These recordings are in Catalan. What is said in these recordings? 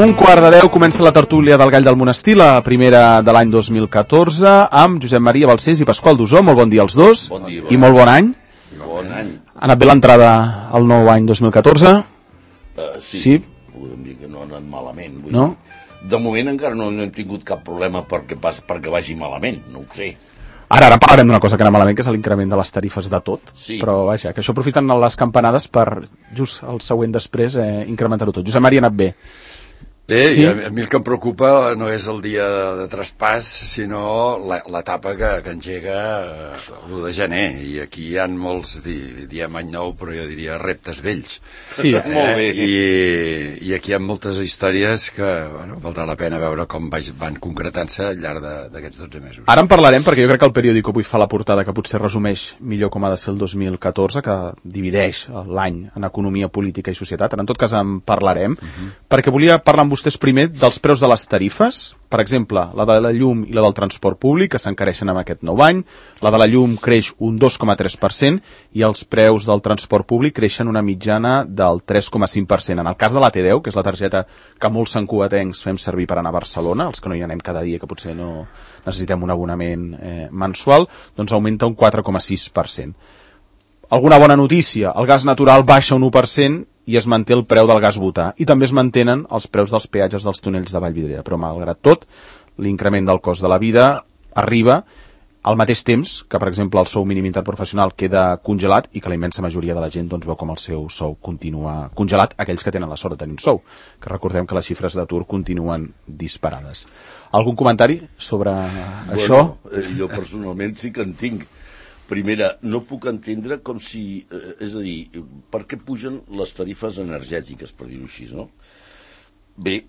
9:15 comença la tertúlia del Gall del Monestir, la primera de l'any 2014, amb Josep Maria Balcells i Pasqual Dusó. Molt bon dia als dos. Bon dia, i molt bon any. Bon any. Ha anat bé l'entrada al nou any 2014? Sí. Podem dir que no ha anat malament. No? De moment encara no hem tingut cap problema perquè vagi malament, no ho sé. Ara parlarem d'una cosa que anà malament, que és l'increment de les tarifes de tot. Sí. Però vaja, que això aprofiten les campanades per, just el següent després, incrementar-ho tot. Josep Maria, ha anat bé. Bé, sí? A mi el que em preocupa no és el dia de traspàs, sinó l'etapa que engega l'1 de gener. I aquí hi ha molts, diem any nou, però jo diria reptes vells. Sí, molt bé. I aquí hi ha moltes històries que valdrà la pena veure com van concretant-se al llarg d'aquests 12 mesos. Ara en parlarem, perquè jo crec que el periòdico avui fa la portada que potser resumeix millor com ha de ser el 2014, que divideix l'any en economia, política i societat. En tot cas en parlarem, perquè volia parlar amb vostès primer dels preus de les tarifes. Per exemple, la de la llum i la del transport públic, que s'encareixen amb aquest nou any. La de la llum creix un 2,3% i els preus del transport públic creixen una mitjana del 3,5%. En el cas de la T10, que és la targeta que molts santcugatencs fem servir per anar a Barcelona, els que no hi anem cada dia, que potser no necessitem un abonament mensual, doncs augmenta un 4,6%. Alguna bona notícia, el gas natural baixa un 1% i es manté el preu del gas butà. I també es mantenen els preus dels peatges dels túnels de Vallvidrera. Però, malgrat tot, l'increment del cost de la vida arriba al mateix temps que, per exemple, el sou mínim interprofessional queda congelat i que la immensa majoria de la gent doncs, veu com el seu sou continua congelat, aquells que tenen la sort de tenir un sou, que recordem que les xifres d'atur continuen disparades. Algun comentari sobre això? Jo personalment sí que en tinc. Primera, no puc entendre com si... és a dir, per què pugen les tarifes energètiques, per dir-ho així, no? Bé,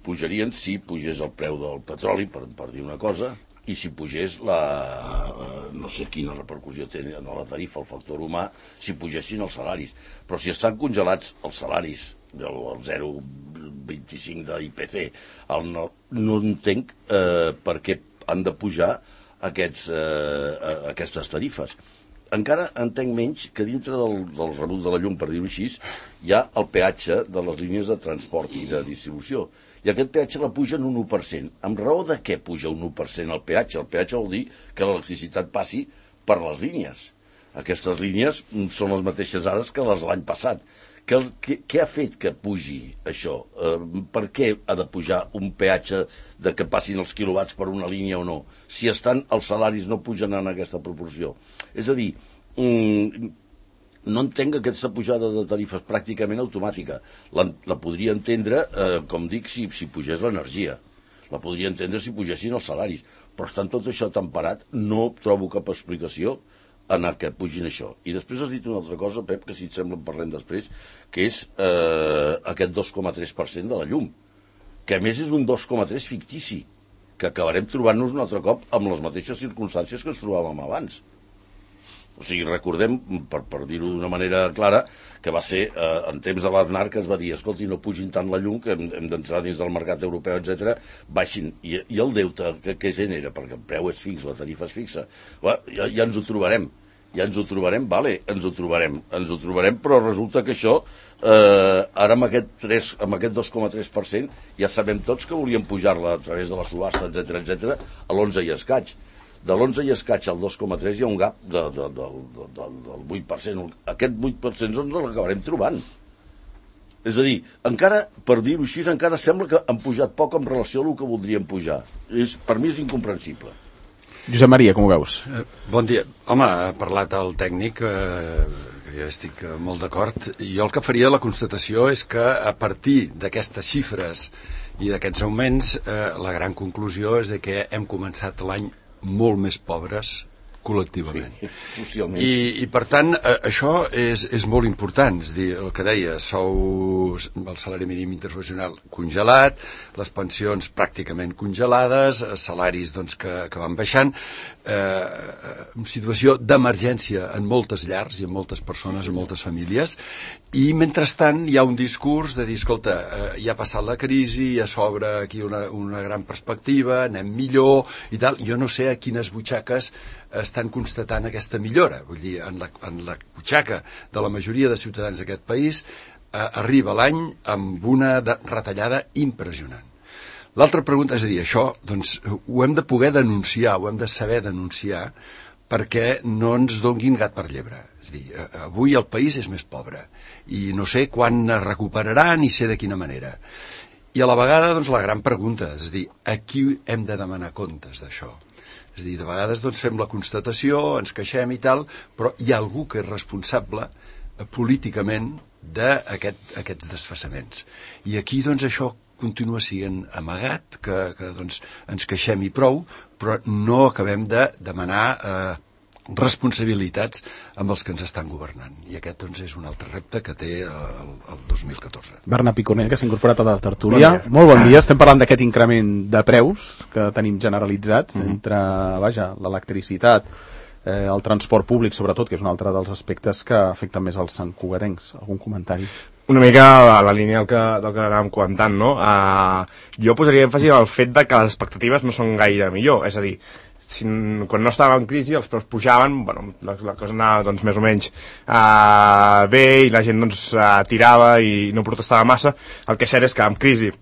pujarien si pugés el preu del petroli, per dir una cosa, i si pugés no sé quina repercussió té en la tarifa, el factor humà, si pugessin els salaris. Però si estan congelats els salaris del 0,25 d'IPC, no entenc per què han de pujar aquestes tarifes. Encara entenc menys que dintre del rebut de la llum, per dir-ho així, hi ha el peatge de les línies de transport i de distribució. I aquest peatge la pugen un 1%. Amb raó de què puja un 1% el peatge? El peatge vol dir que l'electricitat passi per les línies. Aquestes línies són les mateixes ara que les de l'any passat. Què ha fet que pugi això? Per què ha de pujar un peatge de que passin els quilowatts per una línia o no? Si els salaris no pugen en aquesta proporció. És a dir, no entenc aquesta pujada de tarifes pràcticament automàtica. La podria entendre, com dic, si pugés l'energia. La podria entendre si pugessin els salaris. Però estant tot això temperat, no trobo cap explicació en què pugin això. I després has dit una altra cosa, Pep, que si et sembla en parlem després, que és aquest 2,3% de la llum, que a més és un 2,3 fictici, que acabarem trobant-nos un altre cop amb les mateixes circumstàncies que ens trobàvem abans. O sigui, recordem, per dir-ho d'una manera clara, que va ser en temps de l'Aznar que es va dir, escolti, no pugin tant la llum, que hem d'entrar dins del mercat europeu, etc. Baixin. I el deute que genera, perquè el preu és fix, la tarifa és fixa, ja ens ho trobarem. Vale, ens ho trobarem, però resulta que això, ara amb aquest 2,3%, ja sabem tots que volien pujar-la a través de la subhasta, etc., a l'11 i escaig. De l'11 i escaig al 2,3 hi ha un gap del 8%. Aquest 8% ens l'acabarem trobant. És a dir, encara, per dir-ho així, encara sembla que han pujat poc en relació a el que voldrien pujar. Per mi és incomprensible. Josep Maria, com ho veus? Bon dia. Home, ha parlat el tècnic, que jo estic molt d'acord. Jo el que faria la constatació és que a partir d'aquestes xifres i d'aquests augments, la gran conclusió és de que hem començat l'any molt més pobres col·lectivament. Sí, socialment. I per tant, això és molt important. És dir, el que deia, el salari mínim interprofessional congelat, les pensions pràcticament congelades, salaris doncs, que van baixant, una situació d'emergència en moltes llars i en moltes persones, en moltes famílies, i mentrestant hi ha un discurs de dir, escolta, ja ha passat la crisi, ja s'obre aquí una gran perspectiva, anem millor i tal. Jo no sé a quines butxaques estan constatant aquesta millora. Vull dir, en la butxaca de la majoria de ciutadans d'aquest país arriba l'any amb una retallada impressionant. L'altra pregunta, és a dir, això doncs, ho hem de poder denunciar, ho hem de saber denunciar, perquè no ens donguin gat per llebre. És a dir, avui el país és més pobre i no sé quan es recuperarà ni sé de quina manera. I a la vegada, doncs, la gran pregunta, és a dir, a qui hem de demanar comptes d'això? És a dir, de vegades doncs, fem la constatació, ens queixem i tal, però hi ha algú que és responsable políticament d'aquests desfassaments. I aquí, doncs, això continua sent amagat, que doncs, ens queixem i prou, però no acabem de demanar responsabilitats amb els que ens estan governant. I aquest doncs, és un altre repte que té el 2014. Bernat Picornell, que s'ha incorporat a la tertúlia. Molt bon dia. Estem parlant d'aquest increment de preus que tenim generalitzats entre l'electricitat, el transport públic, sobretot, que és un altre dels aspectes que afecten més als santcugatencs. Algun comentari? Una mica a la línia del que anàvem comentant, no? Jo posaria èmfasi en el fet de que les expectatives no són gaire millor, és a dir, quan no estava en crisi els preus pujaven, bueno, la cosa anava doncs, més o menys bé i la gent doncs, tirava i no protestava massa. El que és cert és que amb crisi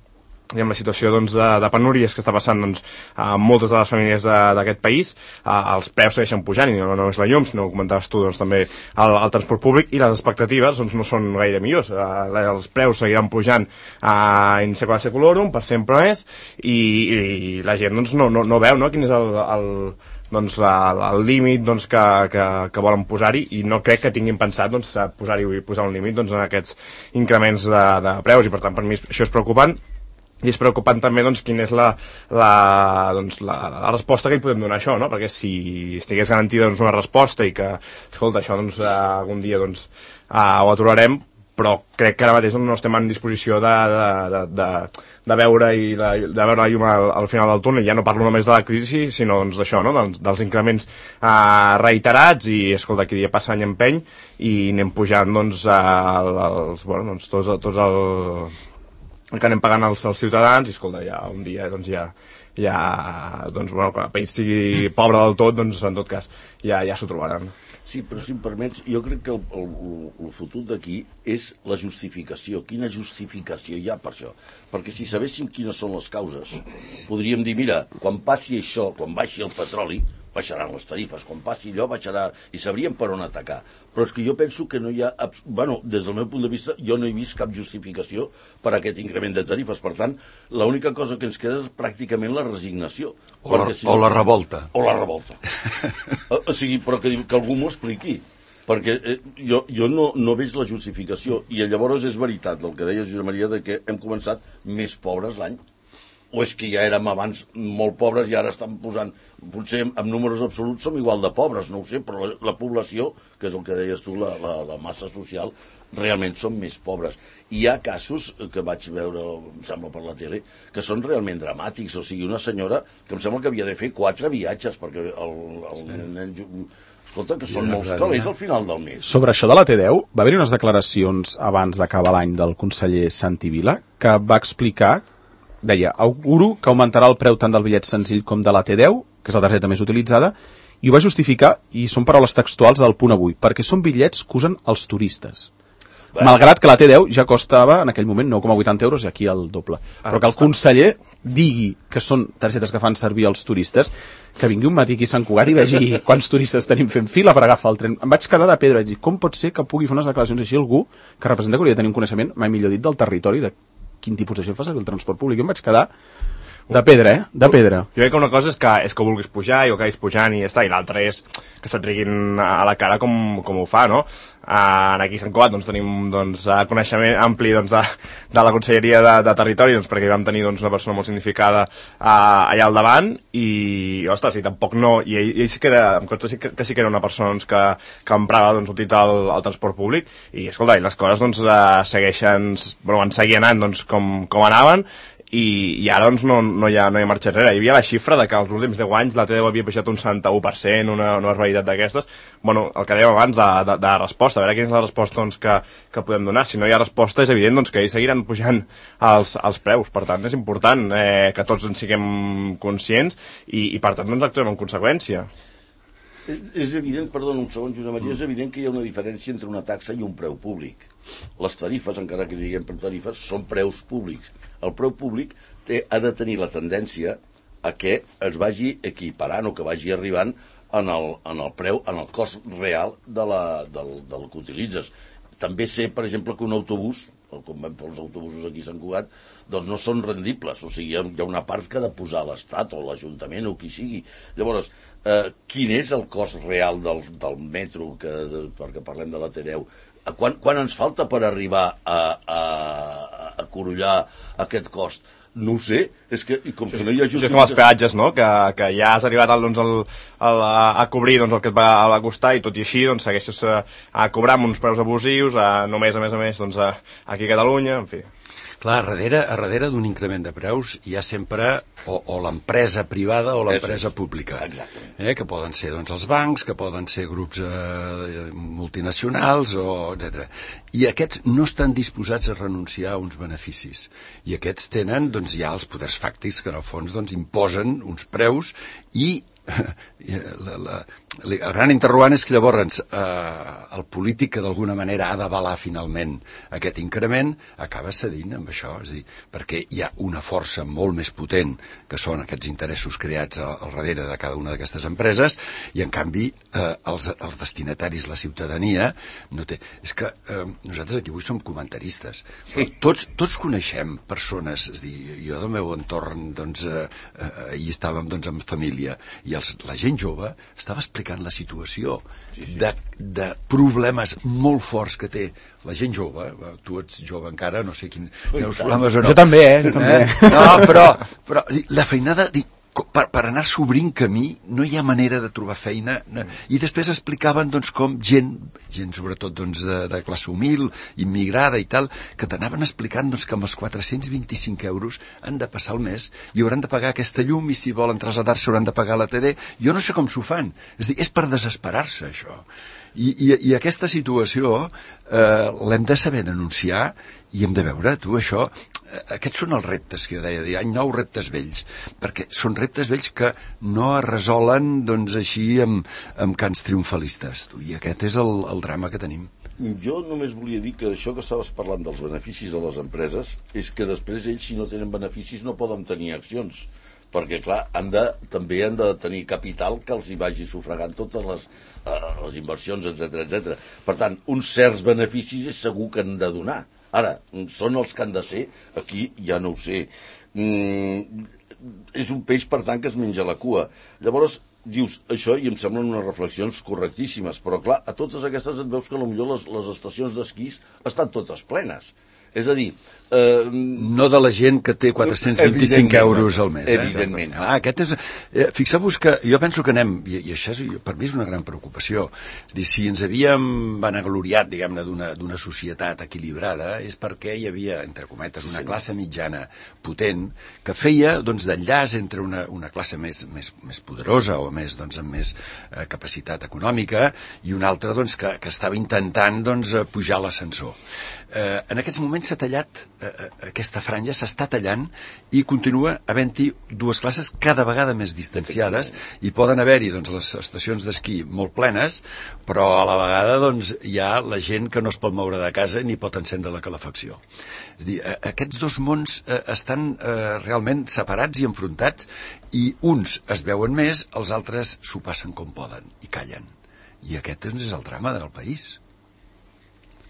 i amb la situació doncs, de penúries que està passant doncs, a moltes de les famílies d'aquest país, els preus segueixen pujant i no només la llum, sinó ho comentaves tu doncs, també el transport públic, i les expectatives doncs, no són gaire millors. Els preus seguiran pujant in secula seculorum, per sempre més, i la gent doncs, no veu no, quin és el límit doncs, que volen posar-hi, i no crec que tinguin pensat doncs, posar un límit doncs, en aquests increments de preus, i per tant per mi això és preocupant. I és preocupant també doncs, quina és la resposta que hi podem donar a això, no? Perquè si estigués garantida doncs, una resposta i que, escolta, això doncs, algun dia doncs, ho aturarem, però crec que ara mateix no estem en disposició de veure la llum al final del túnel. Ja no parlo només de la crisi, sinó doncs, d'això, no? dels increments reiterats, i escolta, aquí dia passa any empeny i anem pujant doncs, tots els que anem pagant els ciutadans, i escolta, ja un dia doncs, quan el país sigui pobre del tot, doncs en tot cas ja s'ho trobaran. Sí, però si em permets, jo crec que el futur d'aquí és la justificació. Quina justificació hi ha per això? Perquè si sabéssim quines són les causes, podríem dir, mira, quan passi això, quan baixi el petroli, baixaran les tarifes, quan passi allò baixarà, i sabríem per on atacar. Però és que jo penso que no hi ha, des del meu punt de vista, jo no he vist cap justificació per a aquest increment de tarifes. Per tant, l'única cosa que ens queda és pràcticament la resignació. O la revolta. O la revolta. O sigui, però que algú m'ho expliqui. Perquè jo no veig la justificació. I llavors és veritat el que deia Josep Maria, de que hem començat més pobres l'any. O és que ja érem abans molt pobres i ara estan posant, potser en números absoluts som igual de pobres, no ho sé, però la població, que és el que deies tu, la massa social, realment són més pobres. Hi ha casos que vaig veure, em sembla, per la tele, que són realment dramàtics. O sigui, una senyora que em sembla que havia de fer 4 viatges, perquè el nen... Escolta, que són molts calés al final del mes. Sobre això de la T10, va haver-hi unes declaracions abans d'acabar l'any del conseller Santi Vila, que va explicar, deia, auguro que augmentarà el preu tant del bitllet senzill com de la T10, que és la targeta més utilitzada, i ho va justificar, i són paraules textuals del punt avui, perquè són bitllets que usen els turistes. Malgrat que la T10 ja costava en aquell moment 9,80 euros i aquí el doble. Però que el conseller digui que són targetes que fan servir els turistes, que vingui un matí aquí a Sant Cugat i vegi quants turistes tenim fent fila per agafar el tren. Em vaig quedar de pedra, vaig dir, com pot ser que pugui fer unes declaracions així algú que representa que hauria de tenir un coneixement, mai millor dit, del territori, de quin tipus de gent fa servir el transport públic. Jo em vaig quedar de pedra, de pedra. Jo crec que una cosa és que vulguis pujar i ho acabis pujant i ja està, i l'altra és que se't riguin a la cara com ho fa, no? Aquí a Sant Cugat doncs, tenim coneixement ampli de la Conselleria de Territori, perquè hi vam tenir una persona molt significada allà al davant, i ostres, i tampoc no, i ell sí que era, em consta que sí que era una persona que emprava utilitzar el transport públic, i escolta, i les coses segueixen, van seguir anant com anaven, i ara no hi ha marxa enrere. Hi havia la xifra de que els últims 10 anys la T10 havia baixat un 71%, una barbaritat d'aquestes. Bueno, el que dèiem abans de resposta, a veure quina és la resposta que podem donar. Si no hi ha resposta és evident que ells seguiran pujant els preus. Per tant, és important que tots en siguem conscients i per tant actuem en conseqüència. És evident, perdona un segon, Josep Maria, és evident que hi ha una diferència entre una taxa i un preu públic. Les tarifes, encara que diguem per tarifes, són preus públics. El preu públic ha de tenir la tendència a que es vagi equiparant o que vagi arribant en el preu, en el cost real del que utilitzes. També sé, per exemple, que un autobús, com vam fer els autobusos aquí a Sant Cugat, doncs no són rendibles, o sigui, hi ha una part que ha de posar l'Estat o l'Ajuntament o qui sigui. Llavors, quin és el cost real del metro, perquè parlem de la T10? Quan ens falta per arribar a corollar aquest cost? No ho sé, és que com que no hi ha justificació... És com els peatges, no?, que ja has arribat a cobrir el que et va costar i tot i així doncs, segueixes a cobrar amb uns preus abusius, només, a més, doncs, aquí a Catalunya, en fi... Clar, a darrere d'un increment de preus hi ha sempre o l'empresa privada o l'empresa pública. Que poden ser doncs, els bancs, que poden ser grups multinacionals, etc. I aquests no estan disposats a renunciar a uns beneficis. I aquests tenen doncs, ja els poders fàctics que en el fons doncs, imposen uns preus i el gran interrogant és que llavors el polític que d'alguna manera ha d'avalar finalment aquest increment acaba cedint amb això, és a dir, perquè hi ha una força molt més potent que són aquests interessos creats al darrere de cada una d'aquestes empreses i en canvi els destinataris, la ciutadania no té, és que nosaltres aquí avui som comentaristes, però tots coneixem persones, és a dir, jo del meu entorn doncs, ahir estàvem doncs, amb família i la gent jove estava explicant la situació de problemes molt forts que té la gent jove. Tu ets jove encara, no sé quins problemes o no. Jo també, No, però la feinada... Per anar s'obrint camí no hi ha manera de trobar feina i després explicaven doncs, com gent sobretot doncs, de classe humil, immigrada i tal, que t'anaven explicant doncs, que amb els 425 euros han de passar el mes i hauran de pagar aquesta llum i si volen traslladar-se hauran de pagar la TD. Jo no sé com s'ho fan, és per desesperar-se això. I aquesta situació l'hem de saber denunciar i hem de veure, tu, això... Aquests són els reptes que jo deia, hi ha 9 reptes vells, perquè són reptes vells que no es resolen doncs, així amb cants triomfalistes. I aquest és el drama que tenim. Jo només volia dir que això que estaves parlant dels beneficis de les empreses és que després ells, si no tenen beneficis, no poden tenir accions. Perquè, clar, també han de tenir capital que els hi vagi sufragant totes les inversions, etc. Per tant, uns certs beneficis és segur que han de donar. Ara, són els que han de ser, aquí ja no ho sé. És un peix, per tant, que es menja la cua. Llavors, dius això i em semblen unes reflexions correctíssimes, però clar, a totes aquestes et veus que potser les estacions d'esquís estan totes plenes. És a dir... No de la gent que té 425 euros al mes. Evidentment. Aquest és... Fixeu-vos que jo penso que anem, i això per mi és una gran preocupació, és dir, si ens havíem vanagloriat, diguem-ne, d'una societat equilibrada, és perquè hi havia, entre cometes, una classe mitjana potent que feia doncs, d'enllaç entre una classe més poderosa o més, doncs, amb més capacitat econòmica i una altra doncs, que estava intentant doncs, pujar l'ascensor. En aquests moments s'ha tallat aquesta franja, s'està tallant i continua havent-hi dues classes cada vegada més distanciades i poden haver-hi doncs, les estacions d'esquí molt plenes, però a la vegada doncs, hi ha la gent que no es pot moure de casa ni pot encendre la calefacció. És a dir, aquests dos mons estan realment separats i enfrontats i uns es veuen més, els altres s'ho passen com poden i callen. I aquest és el drama del país.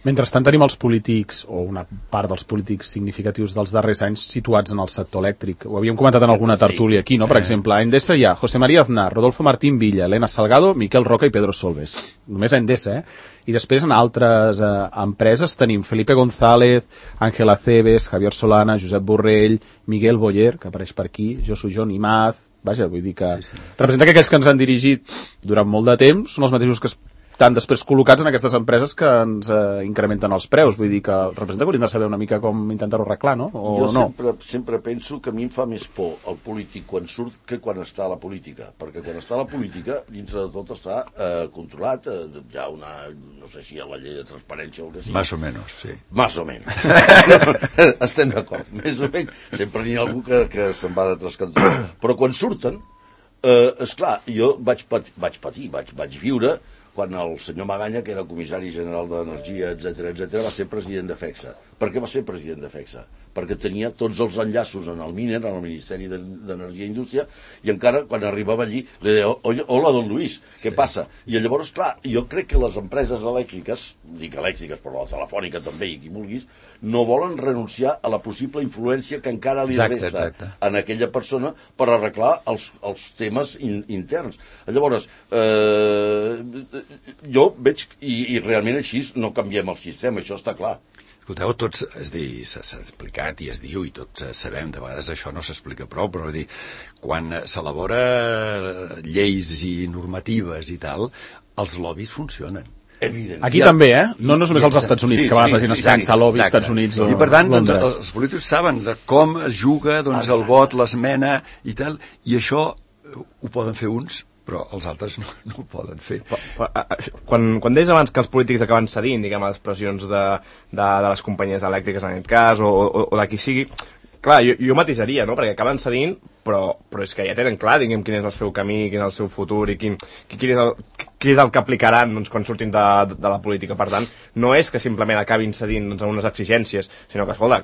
Mentrestant tenim els polítics, o una part dels polítics significatius dels darrers anys situats en el sector elèctric. Ho havíem comentat en alguna tertúlia aquí, no? Per exemple, a Endesa hi ha José María Aznar, Rodolfo Martín Villa, Elena Salgado, Miquel Roca i Pedro Solbes. Només a Endesa, I després en altres empreses tenim Felipe González, Ángel Acebes, Javier Solana, Josep Borrell, Miguel Boyer, que apareix per aquí, Josu Jon Imaz... Vaja, vull dir que representa que aquells que ens han dirigit durant molt de temps són els mateixos que estan després col·locats en aquestes empreses que ens incrementen els preus. Vull dir que representa que hauríem de saber una mica com intentar-ho arreglar, no? O jo no? sempre penso que a mi em fa més por el polític quan surt que quan està a la política, perquè quan està a la política, dintre de tot està controlat, hi ha una, no sé si hi ha la llei de transparència o el que sigui. Más o menos, sí. Más o menos. Estem d'acord. Més o menys. Sempre n'hi ha algú que se'n va de tres cantons. Però quan surten, Esclar, jo vaig viure quan el senyor Maganya, que era comissari general d'Energia, etc, va ser president de FECSA. Per què va ser president de FECSA? Perquè tenia tots els enllaços en el MINER, en el Ministeri d'Energia i Indústria, i encara quan arribava allí li deia, hola, don Luis, què passa? I llavors, clar, jo crec que les empreses elèctriques, dic elèctriques, però la telefònica també, i qui vulguis, no volen renunciar a la possible influència que encara li resta en aquella persona per arreglar els temes interns. Llavors, jo veig, i realment així no canviem el sistema, això està clar. Escolteu, tots, és a dir, s'ha explicat i es diu, i tots sabem, de vegades això no s'explica prou, però dir, quan s'elabora lleis i normatives i tal, els lobbies funcionen. Aquí també, no només als Estats Units, que a vegades la gent es pensa lobby, Estats Units o Londres. I per tant, Londres. Els polítics saben de com es juga el vot, l'esmena i tal, i això ho poden fer uns, però els altres no ho poden fer. Quan deies abans que els polítics acaben cedint, diguem, a les pressions de les companyies elèctriques en aquest cas, o de qui sigui, clar, jo matisaria, no?, perquè acaben cedint, però és que ja tenen clar, diguem, quin és el seu camí, quin és el seu futur i quin és el que aplicaran, doncs, quan surtin de la política. Per tant, no és que simplement acabin cedint, doncs, a unes exigències, sinó que, escolta,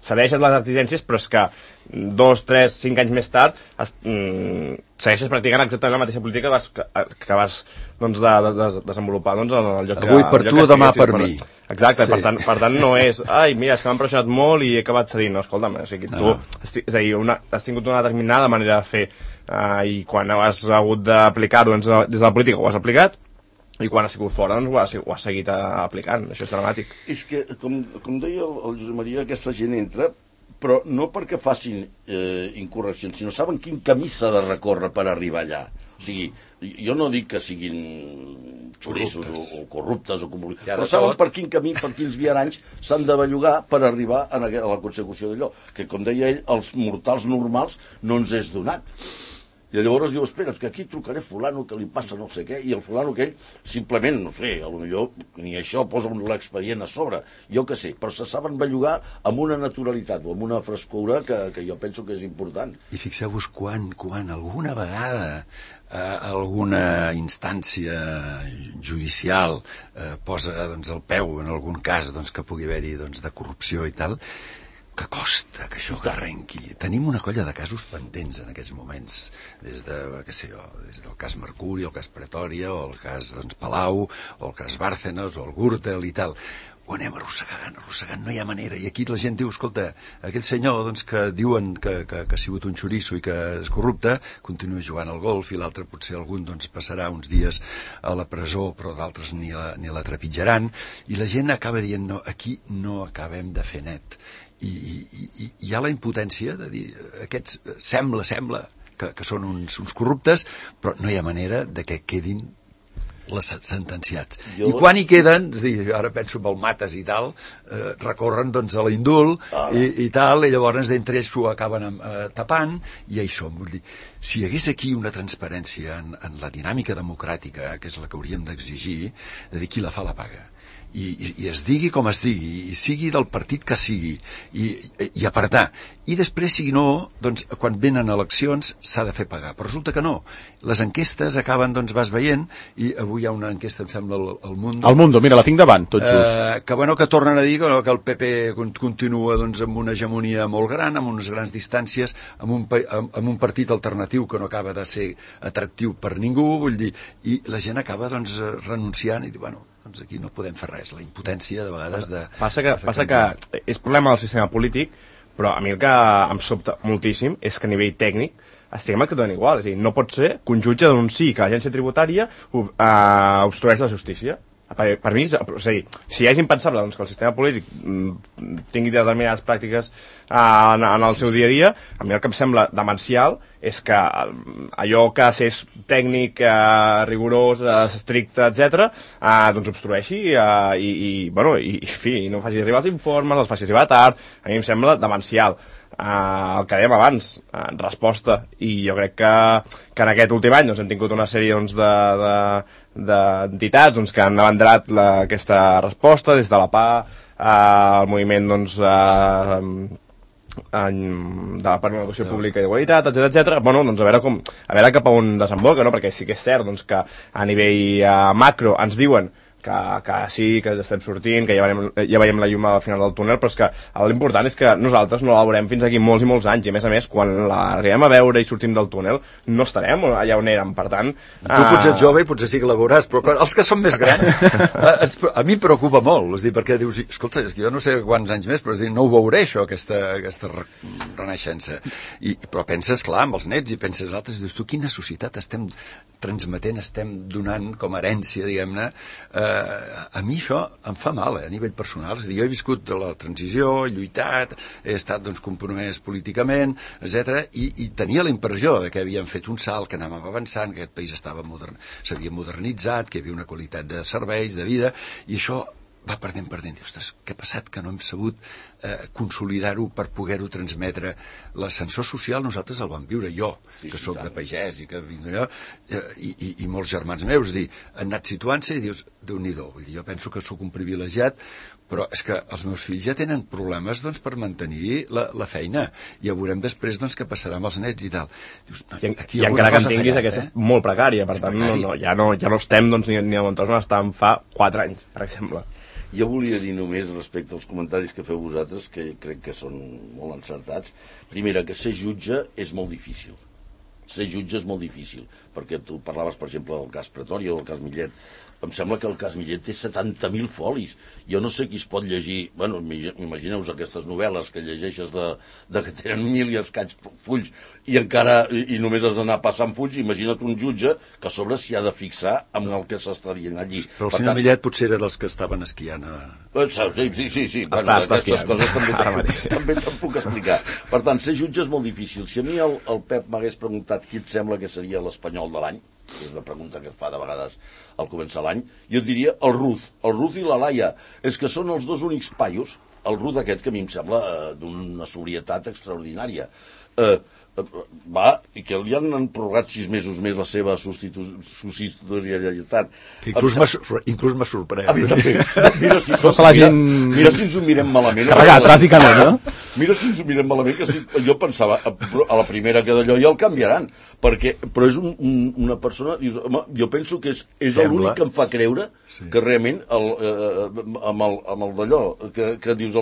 cedeixes les exigències, però és que 2, 3, 5 anys més tard segueixes practicant exactament la mateixa política que vas doncs, desenvolupar doncs, en el lloc avui per tu, demà per mi. Exacte, sí. Per tant no és mira, és que m'han pressionat molt i he acabat cedint. No, escolta'm, o sigui, tu és a dir, has tingut una determinada manera de fer i quan has hagut d'aplicar-ho des de la política ho has aplicat, i quan ha sigut fora doncs ho has seguit aplicant. Això és dramàtic. És que, com deia el Josep Maria, aquesta gent entra, però no perquè facin incorreccions, sinó saben quin camí s'ha de recórrer per arribar allà. O sigui, jo no dic que siguin xoriços o corruptes, però saben per quin camí, per quins viaranys s'han de bellugar per arribar a la consecució d'allò, que, com deia ell, als mortals normals no ens és donat. I llavors diu, espera, que aquí trucaré fulano que li passa no sé què, i el fulano aquell simplement, no sé, potser ni això posa l'expedient a sobre, jo què sé, però se saben bellugar amb una naturalitat o amb una frescura que jo penso que és important. I fixeu-vos quan alguna vegada alguna instància judicial posa doncs, el peu en algun cas doncs, que pugui haver-hi doncs, de corrupció i tal, que costa que això arrenqui. Tenim una colla de casos pendents en aquests moments, des del cas Mercuri, el cas Pretòria, o el cas doncs, Palau, o el cas Bárcenas, o el Gürtel i tal. Ho anem arrossegant, no hi ha manera. I aquí la gent diu, escolta, aquell senyor doncs, que diuen que ha sigut un xoriço i que és corrupte, continua jugant al golf, i l'altre potser algun doncs, passarà uns dies a la presó, però d'altres ni la trepitjaran, i la gent acaba dient, no, aquí no acabem de fer net. I hi ha la impotència de dir, aquests sembla que són uns corruptes, però no hi ha manera de que quedin les sentenciats. I quan hi queden, és dir, ara penso en el Matas i tal, recorren doncs a l'indult i tal, i llavors d'entre ells s'ho acaben tapant, i això, vull dir, si hi hagués aquí una transparència en la dinàmica democràtica, que és la que hauríem d'exigir, de dir qui la fa la paga. I es digui com es digui, i sigui del partit que sigui, i apretar. I després, si no, doncs, quan venen eleccions s'ha de fer pagar. Però resulta que no. Les enquestes acaben, doncs, vas veient, i avui hi ha una enquesta, em sembla, al Mundo. Al Mundo, mira, la tinc davant, tot just. Que tornen a dir que el PP continua doncs, amb una hegemonia molt gran, amb unes grans distàncies, amb un partit alternatiu que no acaba de ser atractiu per ningú, vull dir, i la gent acaba doncs, renunciant i dir, bueno, doncs aquí no podem fer res, la impotència de vegades de... Passa que és problema del sistema polític, però a mi el que em sobta moltíssim és que a nivell tècnic estiguem exactament igual, és a dir, no pot ser que un jutge denunciï que l'agència tributària obstrueix la justícia. Per mi, és a dir, si és impensable doncs, que el sistema polític tingui determinades pràctiques en el seu dia a dia, a mi el que em sembla demencial és que allò que és tècnic, rigorós, estricte, etc., doncs obstrueixi i no faci arribar els informes, els faci arribar tard. A mi em sembla demencial. El que dèiem abans, resposta, i jo crec que en aquest últim any doncs, hem tingut una sèrie doncs, d'entitats doncs, que han abandrat aquesta resposta, des de la PA, el moviment doncs, per una educació pública d'igualtat, etc. Bueno, doncs a veure cap a on desemboca, no? Perquè sí que és cert doncs, que a nivell macro ens diuen que sí, que estem sortint, que ja veiem la llum al final del túnel, però és que l'important és que nosaltres no la veurem fins aquí molts i molts anys, i a més, quan l'arribem a veure i sortim del túnel, no estarem allà on érem, per tant... Tu potser ets jove i potser sí que la veuràs, però els que són més grans, a mi em preocupa molt, és dir, perquè dius, escolta, jo no sé quants anys més, però és dir, no ho veuré això, aquesta renaixença. Però penses, clar, amb els nets, i penses altres, i dius, tu, quina societat estem transmetent, estem donant com a herència, diguem-ne, a mi això em fa mal, a nivell personal. És a dir, jo he viscut de la transició, he lluitat, he estat doncs, compromès políticament, etc. I tenia la impressió de que havíem fet un salt, que anàvem avançant, que aquest país s'havia modernitzat, que hi havia una qualitat de serveis, de vida, i això va perdent. Dius, ostres, què ha passat? Que no hem sabut consolidar-ho per poder-ho transmetre. L'ascensor social nosaltres el vam viure, jo, que sóc de pagès i que vinc d'allò, i molts germans meus, han anat situant-se i dius, Déu-n'hi-do, jo penso que sóc un privilegiat, però és que els meus fills ja tenen problemes doncs, per mantenir la feina. Ja veurem després doncs, què passarà amb els nets i tal. Dius, no, I encara que en tinguis, aquesta és molt precària, per tant, ja no estem doncs, ni a on estàvem fa 4 anys, per exemple. Jo volia dir només respecte als comentaris que feu vosaltres, que crec que són molt encertats. Primera, que ser jutge és molt difícil. Ser jutge és molt difícil, perquè tu parlaves, per exemple, del cas Pretòria o del cas Millet. Em sembla que el cas Millet té 70.000 folis. Jo no sé qui es pot llegir... Bueno, imagineu-vos aquestes novel·les que llegeixes de que tenen 1.000 i escaig fulls i només has d'anar passant fulls. Imagina't un jutge que a sobre s'hi ha de fixar amb el que s'està dient allí. Però el senyor Millet potser era dels que estaven esquiant. Sí. Bueno, aquestes coses també te'n puc explicar. Per tant, ser jutge és molt difícil. Si a mi el Pep m'hagués preguntat qui et sembla que seria l'espanyol de l'any, que és una pregunta que es fa de vegades al començar l'any, jo et diria el Ruz i la Laia. És que són els dos únics paios, el Ruz aquest que a mi em sembla d'una sobrietat extraordinària. I que li han prorrogat 6 mesos més la seva subsidiarietat. Inclús m'ha sorprès. A mi també. Mira si ens ho mirem malament. Carregat, bàsicament, no? Mira si ens ho mirem malament, que jo pensava, a la primera que d'allò ja el canviaran, però és una persona, jo penso que és l'únic que em fa creure que realment amb el d'allò, que dius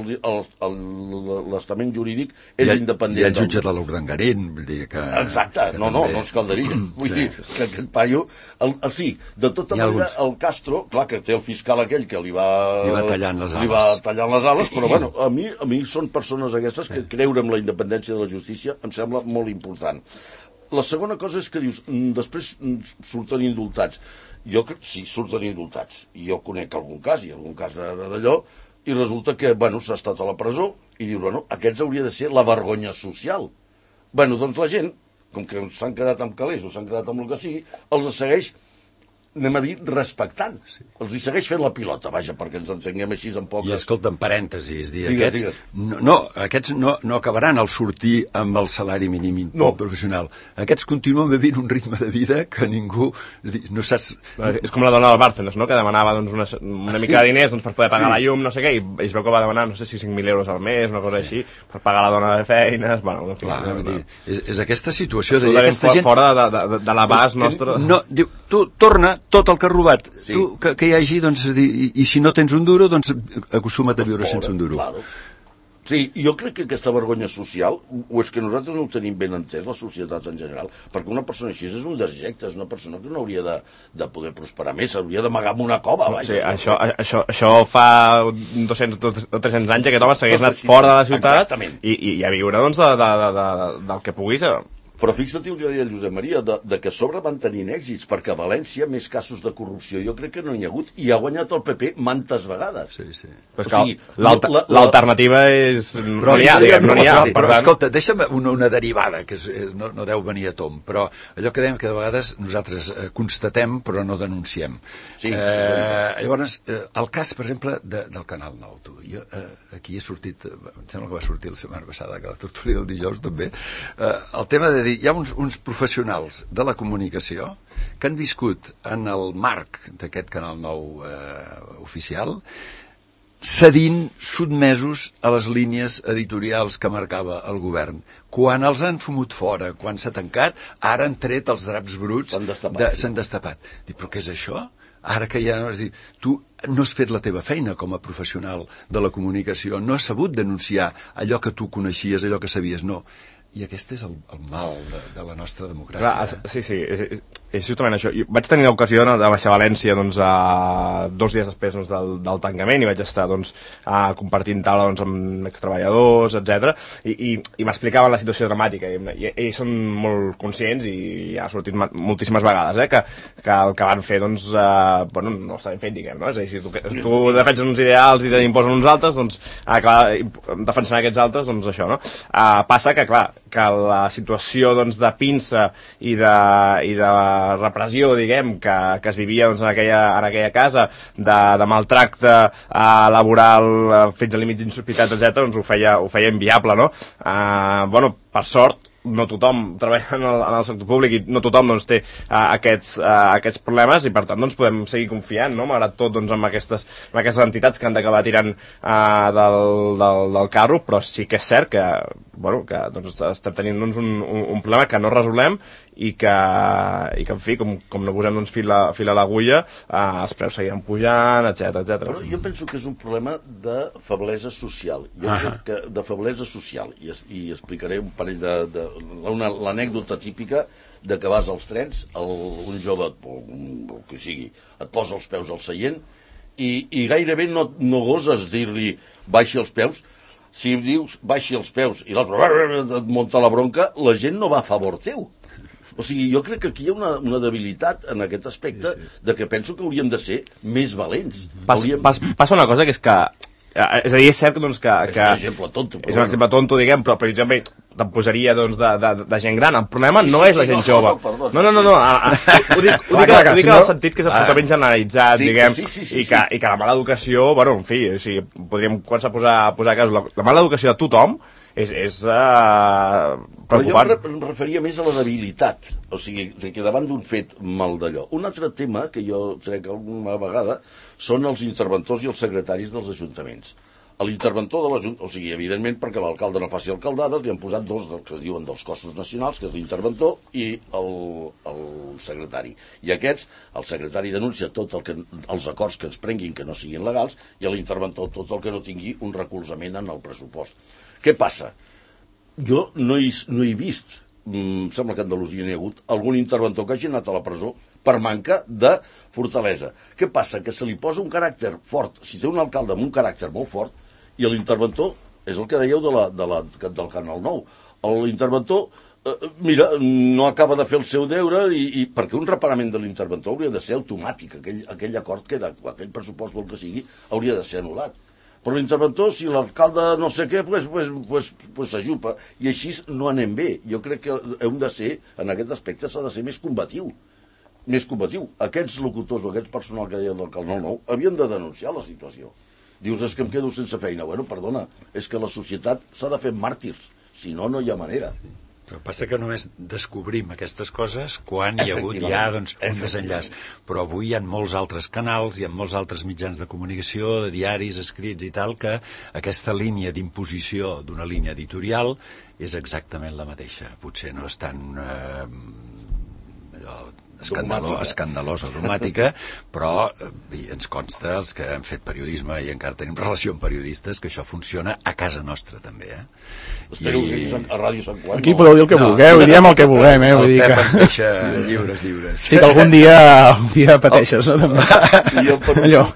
l'estament jurídic és independent. I el jutge de l'Urdangarín, vull dir que... Exacte, no ens caldaria. Vull dir que aquest paio... Sí, de tota manera, el Castro, clar que té el fiscal aquell que li va tallant les ales, però bueno, a mi són persones aquestes que creure en la independència de la justícia em sembla molt important. La segona cosa és que dius, després surten indultats. Sí, surten indultats. Jo conec algun cas d'allò, i resulta que, s'ha estat a la presó, i dius, aquests hauria de ser la vergonya social. Doncs la gent, com que s'han quedat amb calés o s'han quedat amb el que sigui, els segueix, anem a dir, respectant. Els hi segueix fent la pilota, vaja, perquè ens encenguem així en poques... I escolta, en parèntesis, aquests no acabaran al sortir amb el salari mínim professional. Aquests continuen vivint un ritme de vida que ningú... no saps... És com la dona del Bárcenas, no?, que demanava una mica de diners per poder pagar la llum, no sé què, i es veu que va demanar, no sé si 5.000 euros al mes, una cosa així, per pagar la dona de feines... Bueno, en fi... És aquesta situació de dir, aquesta gent... Fora de l'abast nostre... No, diu, tu torna tot el que has robat, tu, que hi hagi, doncs, i si no tens un duro, doncs acostuma't a viure sense un duro. Claro. Sí, jo crec que aquesta vergonya social, o és que nosaltres no ho tenim ben entès, la societat en general, perquè una persona així és un desjecte, és una persona que no hauria de poder prosperar més, hauria d'amagar en una cova, vaja. Sí, això fa 200 o 300 anys que aquest home s'hagués anat fora de la ciutat i a viure, doncs, del que puguis... Però fixa't el que deia el Josep Maria, de que a sobre van tenint èxits, perquè a València més casos de corrupció jo crec que no hi ha hagut, i ha guanyat el PP mantes vegades. Sí. L'alternativa és... No n'hi ha. Però escolta, deixa'm una derivada, que no deu venir a tom, però allò que dèiem que de vegades nosaltres constatem però no denunciem. Llavors, el cas, per exemple, del Canal 9, tu. Jo aquí he sortit, em sembla que va sortir la setmana passada, que la tertúlia del dijous també, el tema de dir, hi ha uns professionals de la comunicació que han viscut en el marc d'aquest Canal 9 oficial cedint, sotmesos a les línies editorials que marcava el govern. Quan els han fumut fora, quan s'ha tancat, ara han tret els draps bruts, s'han destapat. Dic, però què és això? Ara que ja no... És dir, tu no has fet la teva feina com a professional de la comunicació, no has sabut denunciar allò que tu coneixies, allò que sabies, no. I aquest és el mal de la nostra democràcia. Clar, sí, és justament això. Jo vaig tenir l'ocasió de baixar a València 2 dies després del tancament i vaig estar compartint taula amb extreballadors, etc. I m'explicaven la situació dramàtica i ells són molt conscients i ja ha sortit moltíssimes vegades que el que van fer no estaven fent, diguem, no? És a dir, si tu defenses uns ideals i t'imposen uns altres, doncs acabar defensant aquests altres, doncs això, no? Passa que, clar, que la situació de pinça i de repressió, diguem, que es vivia en aquella casa, de maltracte laboral fins a límits insospitats, etc., doncs ho feia inviable, no? Per sort, no tothom treballa en el sector públic i no tothom té aquests problemes i per tant podem seguir confiant, no? Malgrat tot en aquestes entitats que han d'acabar tirant del carro, però sí que és cert que estem tenint un problema que no resolem i que en fi, com no posem fil a l'agulla, els preus seguiran pujant, etc. Però jo penso que és un problema de feblesa social. Jo crec que de feblesa social, i explicaré un parell l'anècdota típica de que vas als trens, un jove, o que sigui, et posa els peus al seient i gairebé no goses dir-li baixi els peus. Si dius baixi els peus i l'altre et munta la bronca, la gent no va a favor teu. O sigui, jo crec que aquí hi ha una debilitat en aquest aspecte de que penso que hauríem de ser més valents. Passa una cosa que és que... És a dir, és cert que... És un exemple tonto. És un exemple tonto, diguem, però per exemple te'n posaria de gent gran. El problema no és la gent jove. No. Ho dic en el sentit que és absolutament generalitzat, diguem, i que la mala educació, en fi, podríem començar a posar casos. La mala educació de tothom és preocupant. Però jo em referia més a la debilitat, o sigui, que davant d'un fet mal d'allò. Un altre tema que jo trec alguna vegada són els interventors i els secretaris dels ajuntaments. L'interventor de l'Ajuntament, o sigui, evidentment perquè l'alcalde no faci alcaldades, li han posat dos que es diuen dels cossos nacionals, que és l'interventor i el secretari. I aquests, el secretari denuncia tot els acords que es prenguin que no siguin legals i l'interventor tot el que no tingui un recolzament en el pressupost. Què passa? Jo no he vist, em sembla que a Andalusia n'hi ha hagut, algun interventor que hagi anat a la presó per manca de fortalesa. Què passa? Que se li posa un caràcter fort. Si té un alcalde amb un caràcter molt fort, i l'interventor, és el que dèieu del Canal 9, l'interventor, mira, no acaba de fer el seu deure, perquè un reparament de l'interventor hauria de ser automàtic, aquell acord que aquell pressupost o el que sigui, hauria de ser anul·lat. Però l'interventor, si l'alcalde no sé què, pues s'ajupa. I així no anem bé. Jo crec que hem de ser, en aquest aspecte, s'ha de ser més combatiu. Més combatiu. Aquests locutors o aquests personal que deien del Canal 9 havien de denunciar la situació. Dius, és que em quedo sense feina. Bueno, perdona, és que la societat s'ha de fer màrtirs. Si no, no hi ha manera. Però passa que només descobrim aquestes coses quan hi ha hagut ja un desenllaç. Però avui hi ha molts altres canals, hi ha molts altres mitjans de comunicació, de diaris, escrits i tal, que aquesta línia d'imposició d'una línia editorial és exactament la mateixa. Potser no és tan escandalosa, dogmàtica, però ens consta, els que hem fet periodisme i encara tenim relació amb periodistes, que això funciona a casa nostra també, Espero que a Ràdio Sant Juan... Aquí podeu dir el que vulgueu, i diem el que vulguem, El Pep ens deixa lliures. Sí, que algun dia pateixes, no? Allò,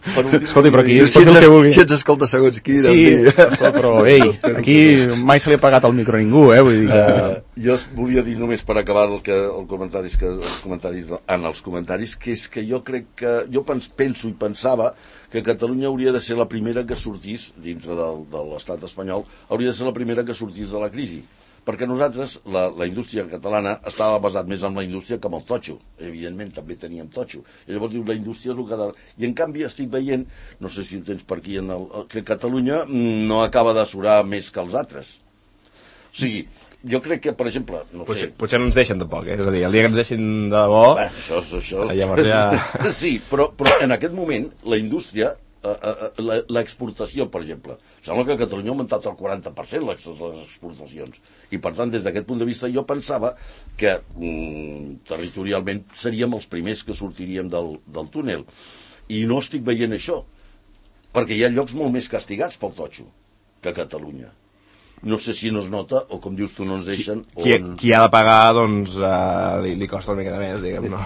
escolti, però aquí si ens escolta segons qui... Sí, però, ei, aquí mai se li ha pagat el micro a ningú, vull dir que... Jo volia dir només per acabar els comentaris que és que jo crec que jo penso i pensava que Catalunya hauria de ser la primera que sortís dintre de l'estat espanyol, hauria de ser la primera que sortís de la crisi, perquè nosaltres, la indústria catalana estava basat més en la indústria que en el totxo, evidentment també teníem totxo, i llavors diu la indústria és el que... I en canvi estic veient, no sé si ho tens per aquí, que Catalunya no acaba de surar més que els altres. O sigui, jo crec que, per exemple... Potser no ens deixen tampoc, És a dir, el dia que ens deixin de bo... Això... Llavors ja... Sí, però en aquest moment la indústria l'exportació, per exemple. Sembla que a Catalunya ha augmentat el 40% les exportacions. I, per tant, des d'aquest punt de vista, jo pensava que territorialment seríem els primers que sortiríem del túnel. I no estic veient això, perquè hi ha llocs molt més castigats pel totxo que a Catalunya. No sé si no es nota, o com dius tu, no ens deixen... Qui ha de pagar, doncs, li costa una mica més, diguem, no?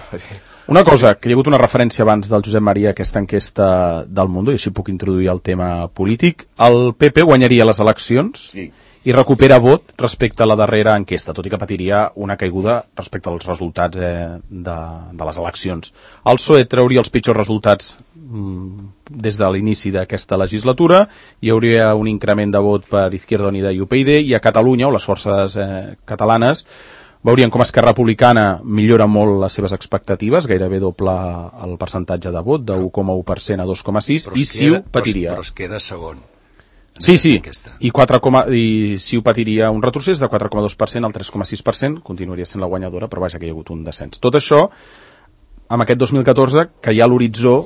Una cosa, que hi ha hagut una referència abans del Josep Maria a aquesta enquesta del Mundo, i així puc introduir el tema polític. El PP guanyaria les eleccions i recupera vot respecte a la darrera enquesta, tot i que patiria una caiguda respecte als resultats de les eleccions. El PSOE trauria els pitjors resultats des de l'inici d'aquesta legislatura, hi hauria un increment de vot per Izquierda Unida i UPyD, i a Catalunya, o les forces catalanes, veurien com Esquerra Republicana millora molt les seves expectatives, gairebé doble el percentatge de vot, de 1,1% a 2,6%, i CiU patiria. Però es queda segon. Sí, i CiU patiria un retrocés de 4,2% al 3,6%, continuaria sent la guanyadora, però vaja que hi ha hagut un descens. Tot això, amb aquest 2014, que hi ha a l'horitzó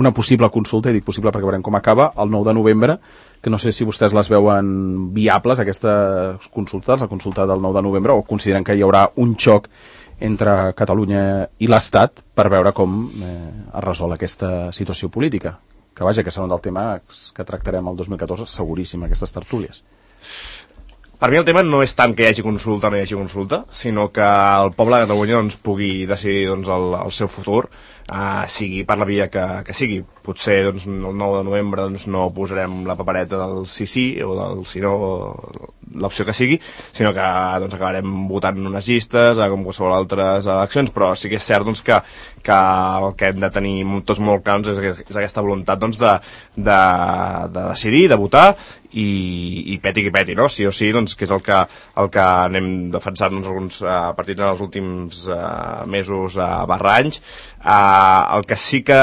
una possible consulta, i dic possible perquè veurem com acaba, el 9 de novembre, que no sé si vostès les veuen viables, aquestes consultes, la consulta del 9 de novembre, o consideren que hi haurà un xoc entre Catalunya i l'Estat per veure com es resol aquesta situació política. Que vaja, que serà un dels temes que tractarem el 2014, seguríssim, aquestes tertúlies. Per mi el tema no és tant que hi hagi consulta o no hi hagi consulta, sinó que el poble de Catalunya doncs, pugui decidir doncs, el seu futur, sigui per la via que sigui. Potser doncs, el 9 de novembre doncs, no posarem la papereta del sí o del si no, l'opció que sigui, sinó que doncs, acabarem votant unes llistes com qualsevol altres eleccions, però sí que és cert doncs, que el que hem de tenir tots molt clars és aquesta voluntat doncs, de decidir, de votar, i peti qui peti, no? Sí o sí, doncs, que és el que anem defensant alguns partits en els últims mesos barra anys. El que sí que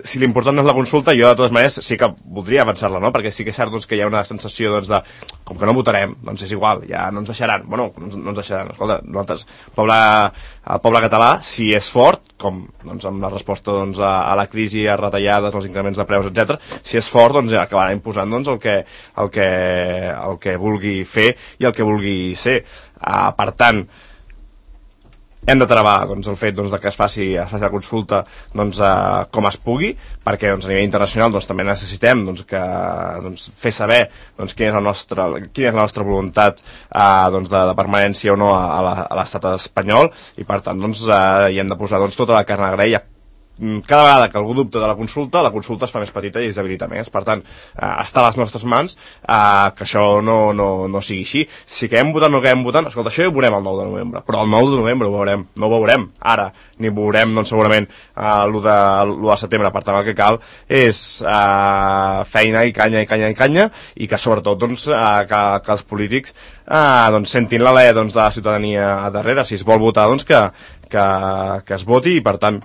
si l'important no és la consulta, jo de totes maneres sí que voldria avançar-la, no? Perquè sí que és cert doncs, que hi ha una sensació doncs, de com que no votarem, doncs és igual, ja no ens deixaran. Bueno, no ens deixaran. Escolta, nosaltres, el poble català, si és fort, com doncs, amb la resposta doncs, a la crisi, a retallades, als increments de preus, etc., si és fort, doncs ja acabarà imposant doncs, el que vulgui fer i el que vulgui ser. Per tant, hem de travar doncs, el fet doncs, que es faci la consulta doncs, com es pugui, perquè doncs, a nivell internacional doncs, també necessitem doncs, fer saber doncs, quina és la nostra voluntat doncs, de permanència o no a l'estat espanyol, i per tant doncs, hi hem de posar doncs, tota la carn a graella. Cada vegada que algú dubta de la consulta es fa més petita i es debilita més. Per tant, està a les nostres mans que això no sigui així. Si quedem votant o no quedem votant, escolta, això ja ho veurem el 9 de novembre, però el 9 de novembre ho veurem, no ho veurem ara, ni ho veurem doncs, segurament l'1 de setembre. Per tant, el que cal és feina i canya, i que sobretot doncs, que els polítics doncs, sentin l'alè doncs, de la ciutadania a darrere. Si es vol votar, doncs, que es voti, i per tant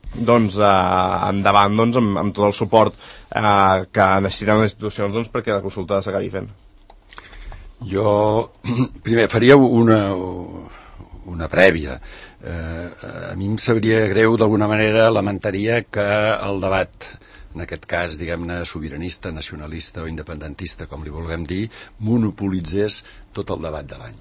doncs endavant doncs, amb tot el suport que necessiten les institucions doncs, perquè la consulta s'acabi fent. Jo primer faria una prèvia. A mi em sabria greu, d'alguna manera lamentaria que el debat, en aquest cas, diguem-ne, sobiranista, nacionalista o independentista, com li vulguem dir, monopolitzés tot el debat de l'any,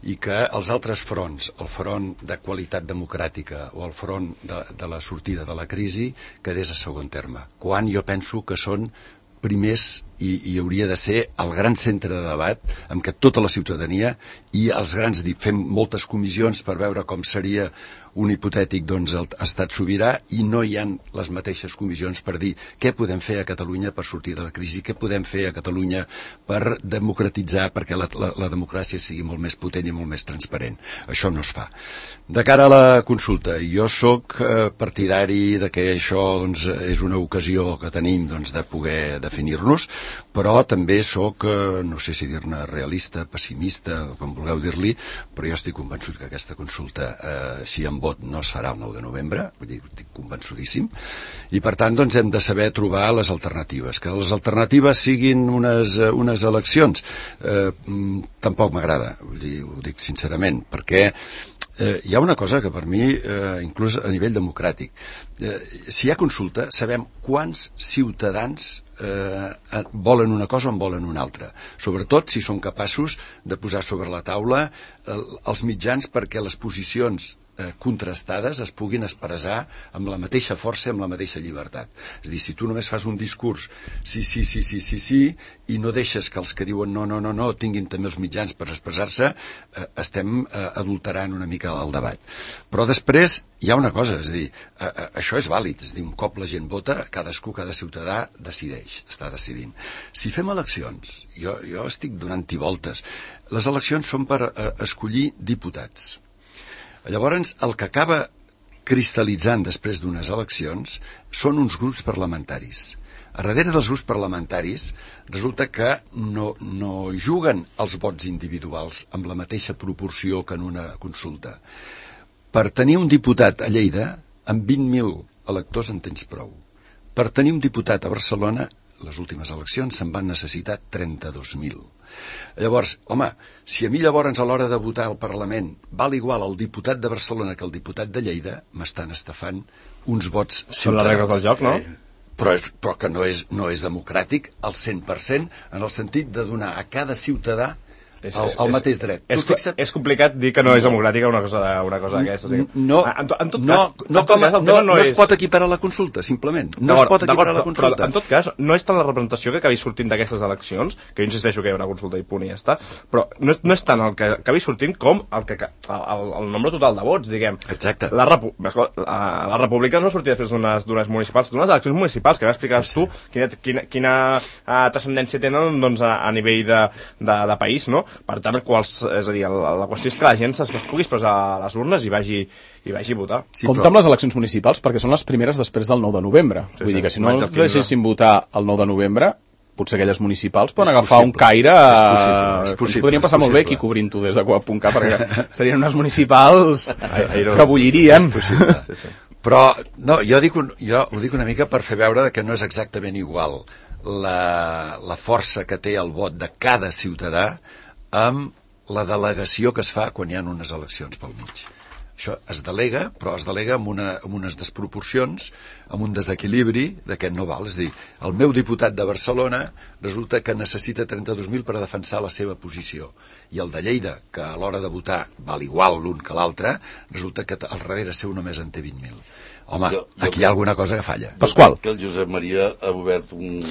i que els altres fronts, el front de qualitat democràtica o el front de la sortida de la crisi, quedés a segon terme, quan jo penso que són primers i hauria de ser el gran centre de debat amb què tota la ciutadania i els grans fem moltes comissions per veure com seria un hipotètic doncs, estat sobirà, i no hi ha les mateixes comissions per dir què podem fer a Catalunya per sortir de la crisi, què podem fer a Catalunya per democratitzar, perquè la democràcia sigui molt més potent i molt més transparent. Això no es fa. De cara a la consulta, jo sóc partidari de que això doncs, és una ocasió que tenim doncs, de poder definir-nos, però també sóc, no sé si dir-ne realista, pessimista, com vulgueu dir-li, però jo estic convençut que aquesta consulta, si en vot, no es farà el 9 de novembre, vull dir, estic convençudíssim, i per tant doncs, hem de saber trobar les alternatives. Que les alternatives siguin unes eleccions tampoc m'agrada, vull dir, ho dic sincerament, perquè hi ha una cosa que per mi, inclús a nivell democràtic, si hi ha consulta, sabem quants ciutadans volen una cosa o en volen una altra. Sobretot si són capaços de posar sobre la taula els mitjans perquè les posicions contrastades es puguin expressar amb la mateixa força i amb la mateixa llibertat. És a dir, si tu només fas un discurs sí, i no deixes que els que diuen no tinguin també els mitjans per expressar-se, estem adulterant una mica el debat. Però després hi ha una cosa, és a dir, això és vàlid, és a dir, un cop la gent vota, cada ciutadà decideix, està decidint. Si fem eleccions, jo estic donant-hi voltes, les eleccions són per escollir diputats. Llavors, el que acaba cristal·litzant després d'unes eleccions són uns grups parlamentaris. A darrere dels grups parlamentaris resulta que no juguen els vots individuals amb la mateixa proporció que en una consulta. Per tenir un diputat a Lleida, amb 20.000 electors en tens prou. Per tenir un diputat a Barcelona, les últimes eleccions se'n van necessitar 32.000. Llavors, home, si a mi llavors a l'hora de votar al Parlament val igual el diputat de Barcelona que el diputat de Lleida, m'estan estafant uns vots ciutadans. Són les regles del joc, no? Però que no és democràtic al 100%, en el sentit de donar a cada ciutadà el mateix dret. És complicat dir que no és democràtica una cosa d'aquestes. No es pot equiparar la consulta, simplement. No es pot equiparar la consulta. Però, en tot cas, no és tant la representació que acabi sortint d'aquestes eleccions, que jo insisteixo que hi ha una consulta i punt i ja està, però no és tant el que acabi sortint com el nombre total de vots, diguem. Exacte. La República no sortia després d'unes municipals, d'unes eleccions municipals, que m'explicaves tu quina transcendència tenen doncs, a nivell de país, no? Per tant, és a dir, la qüestió és que la gent es pugui expressar a les urnes i vagi a votar. Sí, compte amb les eleccions municipals perquè són les primeres després del 9 de novembre. Vull dir que si no els deixessin votar el 9 de novembre, potser aquelles municipals poden agafar un caire... És possible. Podríem passar molt bé aquí cobrint-ho des de Coap.cat perquè serien unes municipals que bullirien. És possible. Però no, jo ho dic una mica per fer veure que no és exactament igual la força que té el vot de cada ciutadà amb la delegació que es fa quan hi ha unes eleccions pel mig. Això es delega, però es delega amb unes desproporcions, amb un desequilibri d'aquest no val. És a dir, el meu diputat de Barcelona resulta que necessita 32.000 per defensar la seva posició. I el de Lleida, que a l'hora de votar val igual l'un que l'altre, resulta que al darrere seu només en té 20.000. Home, aquí hi ha alguna cosa que falla. Pasqual. Que el Josep Maria ha obert un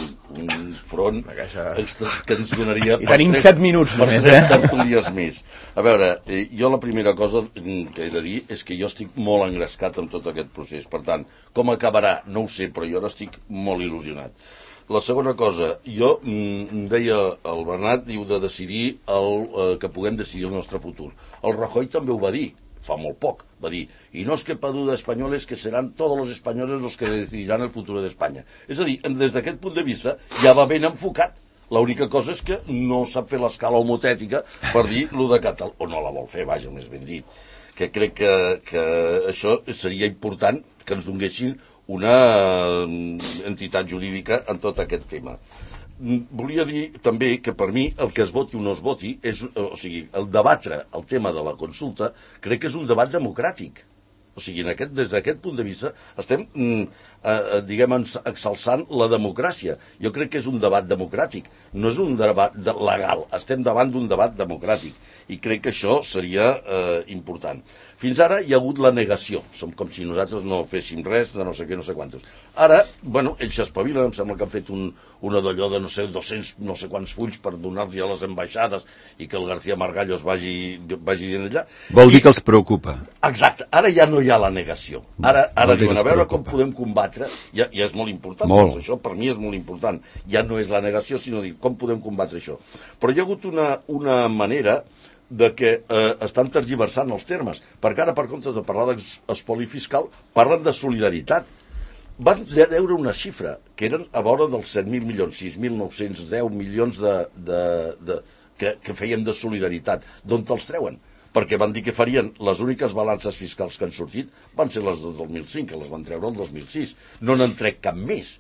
front que ens donaria... I tenim 7 minuts només, tertúlies més. A veure, jo la primera cosa que he de dir és que jo estic molt engrescat amb tot aquest procés. Per tant, com acabarà, no ho sé, però jo ara estic molt il·lusionat. La segona cosa, jo deia el Bernat, diu de decidir que puguem decidir el nostre futur. El Rajoy també ho va dir fa molt poc, va dir, y no es quepa duda españoles que serán todos los españoles los que decidirán el futuro d'Espanya. És a dir, des d'aquest punt de vista ja va ben enfocat. L'única cosa és que no sap fer l'escala homotètica per dir lo de Catalunya, o no la vol fer, vaja, més ben dit. Que crec que això seria important que ens donguessin una entitat jurídica en tot aquest tema. Volia dir també que per mi el que es voti o no es voti o sigui, el debatre el tema de la consulta crec que és un debat democràtic. O sigui, des d'aquest punt de vista estem, diguem, exalçant la democràcia. Jo crec que és un debat democràtic, no és un debat legal, estem davant d'un debat democràtic i crec que això seria important. Fins ara hi ha hagut la negació, som com si nosaltres no féssim res de no sé què, no sé quantos. Ara, bueno, ells s'espavilen, em sembla que han fet una d'allò de no sé, 200 no sé quants fulls per donar-los a les ambaixades i que el García Margallos vagi dient allà. Vol dir que els preocupa. Exacte, ara ja no hi ha la negació. Ara diuen, a veure com podem combatre, ja és molt important, molt. Això per mi és molt important. Ja no és la negació, sinó dir com podem combatre això. Però hi ha hagut una manera de que estan tergiversant els termes, perquè ara, per comptes de parlar d'espoli fiscal, parlen de solidaritat. Van veure una xifra, que eren a vora dels 7.000 milions, 6.910 milions que feien de solidaritat. D'on te'ls treuen? Perquè van dir que farien, les úniques balances fiscals que han sortit van ser les del 2005, que les van treure el 2006. No n'han tret cap més.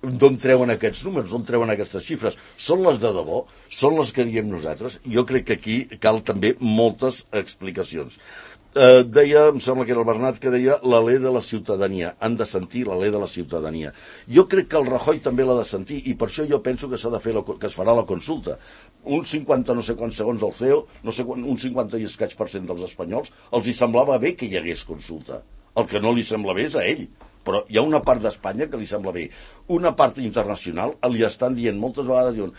D'on treuen aquests números, d'on treuen aquestes xifres? Són les de debò? Són les que diem nosaltres? Jo crec que aquí cal també moltes explicacions. deia, em sembla que era el Bernat que deia l'alè de la ciutadania, han de sentir l'alè de la ciutadania. Jo crec que el Rajoy també l'ha de sentir i per això jo penso que s'ha de fer que es farà la consulta. Un 50 no sé quants segons del CEO, no sé un 50 i escaig % dels espanyols, els hi semblava bé que hi hagués consulta. El que no li sembla bé és a ell. Però hi ha una part d'Espanya que li sembla bé. Una part internacional li estan dient moltes vegades, diuen,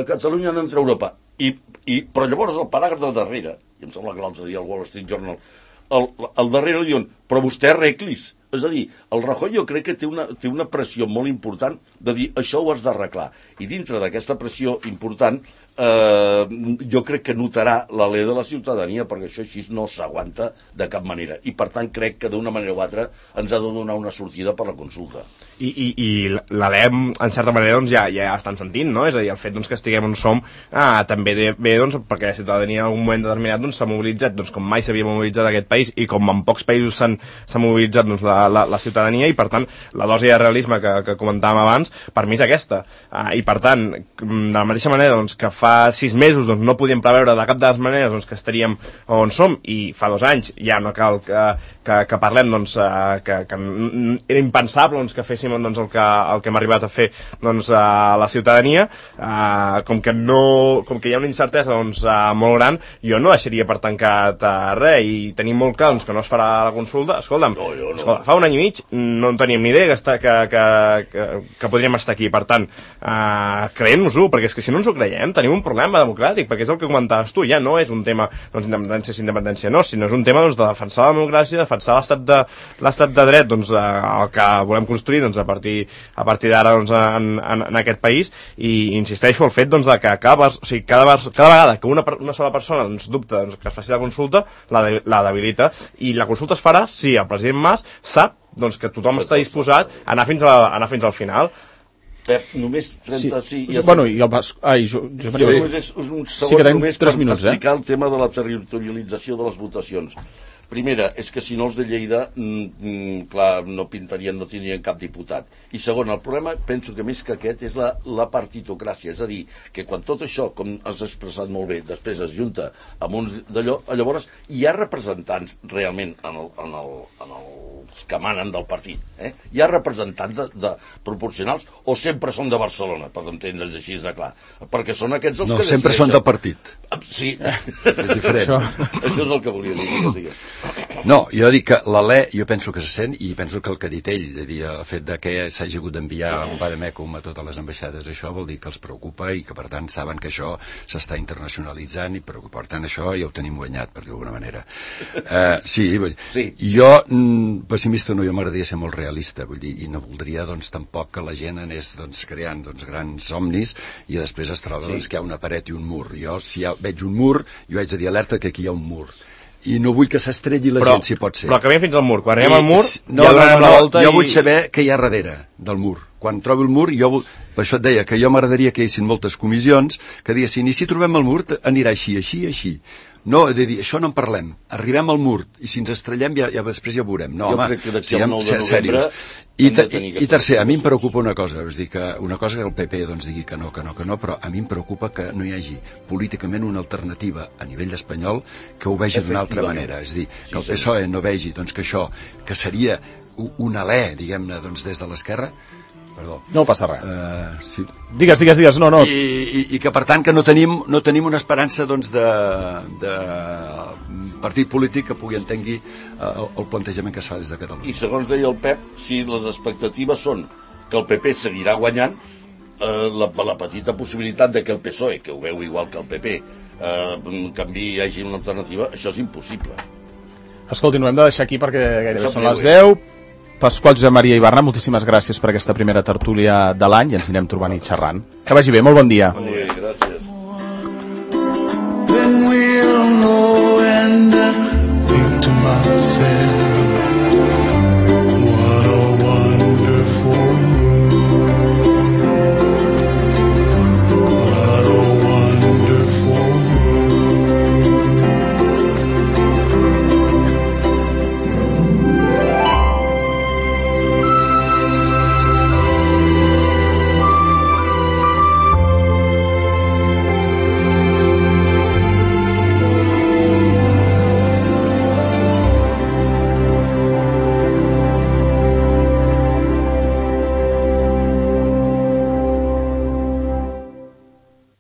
Catalunya no entra a Europa. Però llavors el paràgraf de darrere, i em sembla que l'altre dia el Wall Street Journal, al darrere li diuen, però vostè arreglis. És a dir, el Rajoy jo crec que té una pressió molt important de dir això ho has d'arreglar. I dintre d'aquesta pressió important jo crec que notarà l'alè de la ciutadania perquè això així no s'aguanta de cap manera. I per tant crec que d'una manera o altra ens ha de donar una sortida per la consulta. I l'alè, en certa manera, doncs, ja estan sentint, no? És a dir, el fet doncs, que estiguem on som també bé, doncs, perquè la ciutadania en un moment determinat doncs, s'ha mobilitzat com mai s'havia mobilitzat aquest país i com en pocs països s'ha mobilitzat doncs, la ciutadania, i per tant la dosi de realisme que comentàvem abans per mi és aquesta, i per tant de la mateixa manera doncs, que fa 6 mesos doncs, no podíem preveure de cap de les maneres doncs, que estaríem on som, i fa 2 anys ja no cal que parlem doncs, que era impensable doncs, que féssim doncs, el que hem arribat a fer doncs, a la ciutadania, com que hi ha una incertesa doncs, molt gran, jo no deixaria per tancat res, i tenim molt clar doncs, que no es farà la consulta. Escolta'm, escolta, fa 1 any i mig no en teníem ni idea que podríem estar aquí. Per tant, creiem-nos-ho, perquè és que si no ens ho creiem tenim un problema democràtic, perquè és el que comentaves tu, ja no és un tema doncs, independència no, sinó és un tema doncs, de defensar la democràcia, defensar l'estat de dret, doncs, el que volem construir doncs, a partir d'ara doncs, en aquest país. I insisteixo el fet doncs, de que cada vegada que una sola persona doncs, dubta doncs, que es faci la consulta, la debilita, i la consulta es farà si el president Mas sap doncs, que tothom està disposat a anar fins al final. Pep, només 30... Sí. Bueno, i el Bas... només un segon només per explicar el tema de la territorialització de les votacions. Primera, és que si no els de Lleida, clar, no tindrien cap diputat. I segon, el problema, penso que més que aquest, és la partitocràcia. És a dir, que quan tot això, com has expressat molt bé, després es junta amb uns d'allò, llavors hi ha representants realment en els que manen del partit. Hi ha representants proporcionals o sempre són de Barcelona, per entendre'ns així de clar. Perquè són aquests els que decideixen. No, sempre són del partit. Sí. És diferent. Això és el que volia dir. No, jo dic que l'alè, jo penso que se sent, i penso que el que ha dit ell, de dir, el fet de que s'hagi hagut d'enviar un vademecum a totes les ambaixades, això vol dir que els preocupa i que per tant saben que això s'està internacionalitzant i per tant això ja ho tenim guanyat, per dir-ho d'alguna manera. Sí. Jo, pessimista no, jo m'agradaria ser molt realista, vull dir, i no voldria doncs tampoc que la gent anés doncs, creant doncs, grans somnis i després es troba doncs, que hi ha una paret i un mur. Jo, si veig un mur, jo haig de dir alerta que aquí hi ha un mur. I no vull que s'estrelli la gent, si pot ser. Però que veiem fins al mur. Quan arribem al mur, jo vull saber què hi ha darrere del mur. Quan trobo el mur, per això et deia que jo m'agradaria que hi haguessin moltes comissions que diguessin, i si trobem el mur anirà així. No, de dir, això no en parlem. Arribem al mur, i si ens estrellem després ja ho veurem. No, jo crec que d'aquí al 9 de novembre... I tercer, a mi em preocupa una cosa, és dir, que una cosa que el PP doncs, digui que no, però a mi em preocupa que no hi hagi políticament una alternativa a nivell espanyol que ho vegi d'una altra manera. És dir, que el PSOE no vegi doncs, que això, que seria un alè, diguem-ne, doncs, des de l'esquerra. Perdó. No passa res. Sí. Digues, no. I que per tant que no tenim una esperança doncs, de partit polític que pugui entengui el plantejament que es fa des de Catalunya. I segons deia el Pep, si les expectatives són que el PP seguirà guanyant, la petita possibilitat de que el PSOE, que ho veu igual que el PP, canvi hi hagi una alternativa, això és impossible. Escolti, no hem de deixar aquí perquè gairebé són les 10. Pasqual Josep Maria Ibarra, moltíssimes gràcies per aquesta primera tertúlia de l'any i ens anirem trobant i xerrant. Que vagi bé, molt bon dia. Molt bé, gràcies. Then we'll know and think to myself